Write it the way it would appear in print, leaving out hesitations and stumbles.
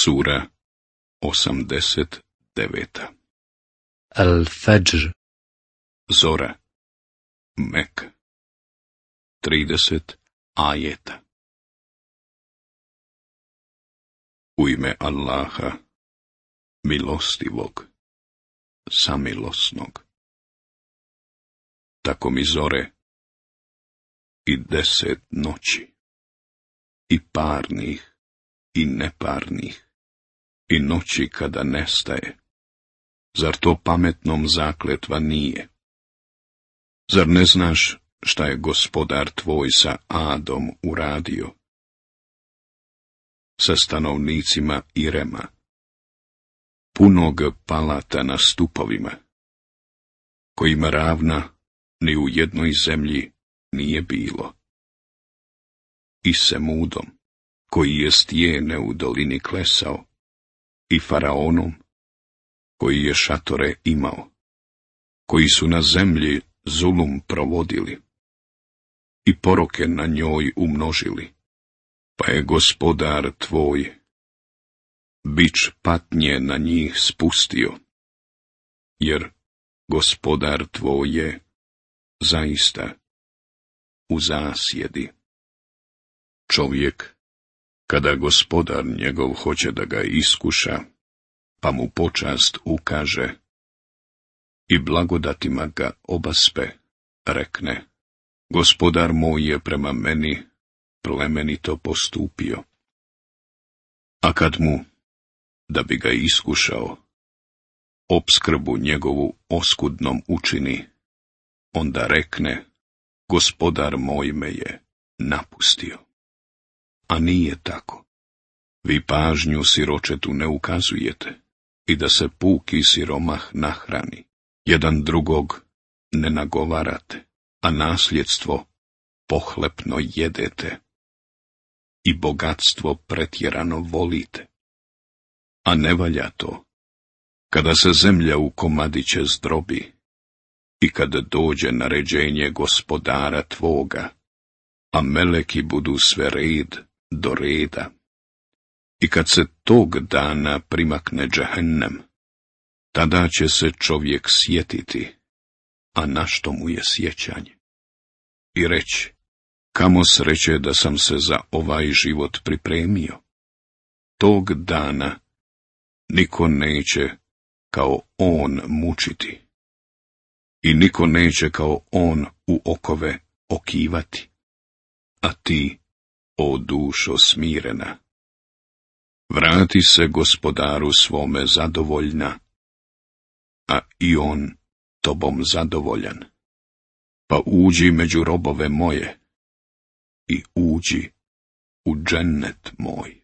Sura 89. Al-Fajr. Zora. Mek. 30 ajeta. U ime Allaha, milostivog, samilosnog. Tako mi zore i 10 noći, i parnih, i neparnih, i noći kada nestaje. Zar to pametnom zakletva nije? Zar ne znaš šta je Gospodar tvoj sa Adom uradio? Sa stanovnicima Irema, punog palata na stupovima, kojima ravna ni u jednoj zemlji nije bilo. I Semudom, koji je stijene u dolini klesao, i Faraonom, koji je šatore imao, koji su na zemlji zulum provodili i poroke na njoj umnožili, pa je Gospodar tvoj bič patnje na njih spustio, jer Gospodar tvoj je zaista u zasjedi. Čovjek, kada Gospodar njegov hoće da ga iskuša, pa mu počast ukaže i blagodatima ga obaspe, rekne: Gospodar moj je prema meni plemenito postupio. A kad mu, da bi ga iskušao, opskrbu njegovu oskudnom učini, onda rekne: Gospodar moj me je napustio. A nije tako. Vi pažnju siročetu ne ukazujete i da se puki siromah nahrani. Jedan drugog ne nagovarate, a nasljedstvo pohlepno jedete i bogatstvo pretjerano volite. A ne valja to, kada se zemlja u komadiće zdrobi i kada dođe naređenje Gospodara tvoga, a meleki budu sve red do reda. I kad se tog dana primakne džehennem, tada će se čovjek sjetiti, a na što mu je sjećanje? I reći: kamo sreće da sam se za ovaj život pripremio. Tog dana niko neće kao on mučiti, i niko neće kao on u okove okivati. A ti, o dušo smirena, vrati se Gospodaru svome zadovoljna, a i on tobom zadovoljan. Pa uđi među robove moje i uđi u džennet moj.